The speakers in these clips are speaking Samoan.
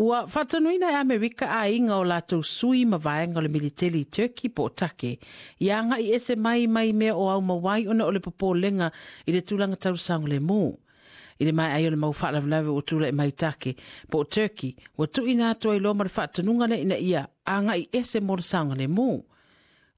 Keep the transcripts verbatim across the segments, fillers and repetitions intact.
Ua faatonuina e Amerika aiga o latou sui ma vaega o le militeli i Turkey po o Take, ia agai ese mai mai mea o aumauai ona o le popolega i le tulaga tau saogalemu. I le maea ai o le mau faalavelave ua tulai mai Take po o Turkey, ua tuuina atu ai loa ma le faatonuga lea ina ia agai ese mo le saogalemu.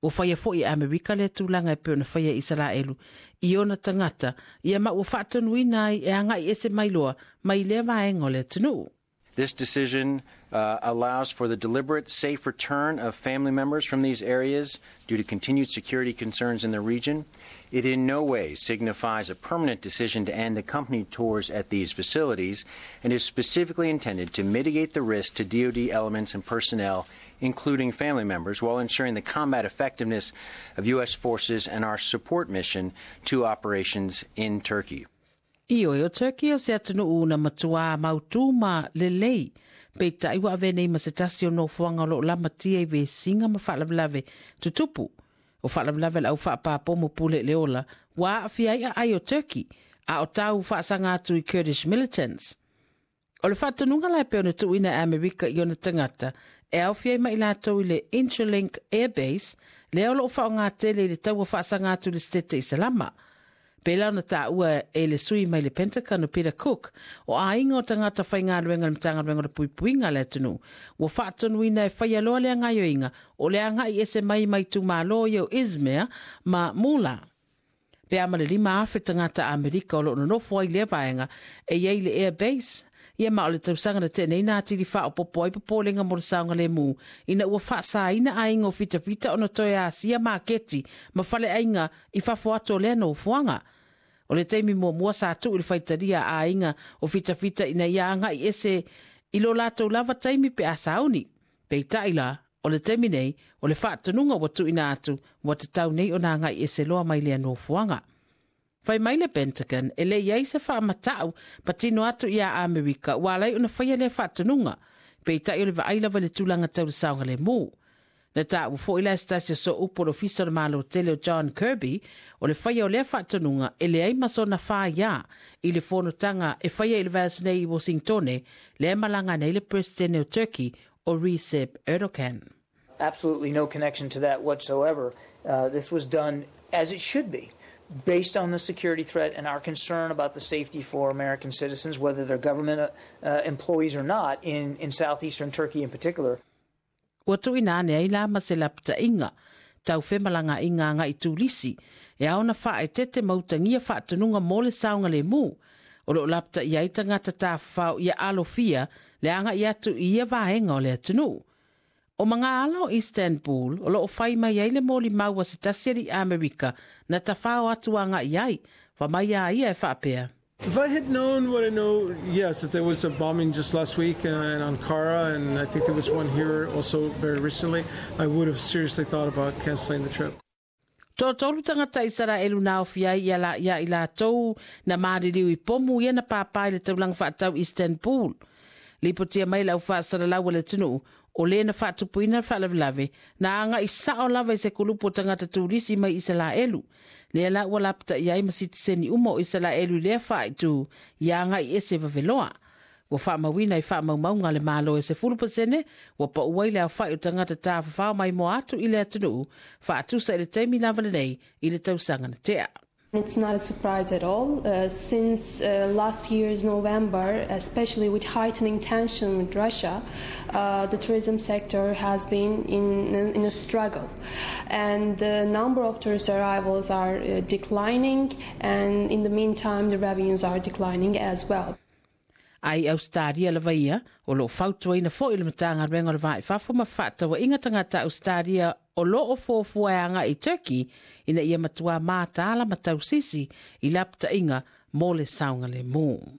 Ua faia foi e Amerika lea tulaga e pei ona faia e Isaraelu i ona tagata, ia ma ua faatonuina ai e agai ese mai loa mai lea vaega o le atunuu. This decision uh, allows for the deliberate, safe return of family members from these areas due to continued security concerns in the region. It in no way signifies a permanent decision to end accompanied tours at these facilities and is specifically intended to mitigate the risk to D O D elements and personnel, including family members, while ensuring the combat effectiveness of U S forces and our support mission to operations in Turkey. Ioe o Turkey o se atunuu na matua mautū ma lelei. Peitai ua ave nei ma se tasi o nofoaga o loo lamatia i vesiga ma faalavelave tutupu. O faalavelave le au faapapomo pule le ola, ua aafia ai aai o Turkey, a o tau faasaga atu i Kurdish militants. O le faatonuga la e pei ona tuuina e Amerika i ona tagata, e aofia ai ma i latou i le Incirlik Air Base, lea o loo faaaoga tele i le taua faasaga atu i le Setete Isalama. Pela ona taua e le sui mai le Pentagon o Peter Cook, o aiga o tagata faigaluega le Matagaluega o le Puipuiga a le atunuu, ua faatonuina e faia loa le gaoioiga o le agai ese mai mai itumalo ia o Izmir ma Mula. Pe a ma le lima afe tagata Amerika o loo nonofo ai lea vaega e iai le Air Base, ia ma o le tausaga na tea nei na atili faaopoopo ai popolega mo le saogalemu ina ua faasaina aiga o fitafita ona toe asia maketi ma faleaiga i fafo atu o lea nofoaga. O le taimi muamua sa tuu i le faitalia a aiga o fitafita ina ia agai ese i lo latou lava taimi pe a sauni. Peitai la, o le taimi nei, o le faatonuga ua tuuina atu ua tatau nei ona agai ese loa mai lea nofoaga. Fai mai le Pentagon, e le iai se faamatau patino atu ia Amerika ua alai ona faia lea faatonuga. Peitai o le vaai lava i le tulaga tau le saogalemu. Na taua foi la se tasi o sooupu o le Ofisa o le Malo tele o John Kirby, o le faia o lea faatonuga e leai ma sona faia i le fonotaga e faia i le vaiaso nei i Washingtone, lea malaga nei le Presidente o Turkey o Recep Erdogan. Absolutely no connection to that whatsoever. Uh, this was done as it should be, based on the security threat and our concern about the safety for American citizens, whether they're government, uh, employees or not, in, in southeastern Turkey in particular. Ua tuuina ane ai la ma se lapataiga tau femalagaaiga agai turisi e ao ona faaeteete ma utagia faatonuga mo le saogalemu. O loo lapataia ai tagata tafafao ia alofia le agai atu i ia vaega o le atunuu. O magaala o Istanbul o loo fai mai ai le molimau a se tasi alii Amerika na tafao atu agai ai, fa mai a ia e faapea. If I had known what I know, yes, that there was a bombing just last week in Ankara, and I think there was one here also very recently, I would have seriously thought about canceling the trip. Toatolu tagata Isaraelu na aofia ai ia la ia i latou na maliliu i pomu ia na pāpā i le taulaga faatau Istanbul. Lipotia mai le au faasalalau a le atunuu, o le na faatupuina le faalavelave, na agai sao lava i se kulupu o tagata turisi mai Isaraelu. Lea la ua lapataia ai ma sitiseni uma o Isaraelu i lea faaitu ia agai ese vaveloa. Ua faamauina i faamaumauga a le Malo e sefulu pasene, ua pau ai le aofai o tagata tafafao mai moa atu i le atunuu, faatusa i le taimi lava lenei i le tausaga na tea. It's not a surprise at all. Uh, since uh, last year's November, especially with heightening tension with Russia, uh, the tourism sector has been in, in a struggle. And the number of tourist arrivals are uh, declining, and in the meantime, the revenues are declining as well. Ai Australia lava ia, o loo fautuaina foi le Matagaluega o le Va i Fafo ma Fefaatauaiga tagata Australia o loo fuafua e agai i Turkey ina ia matua mataala ma tausisi i lapataiga mo le saogalemu.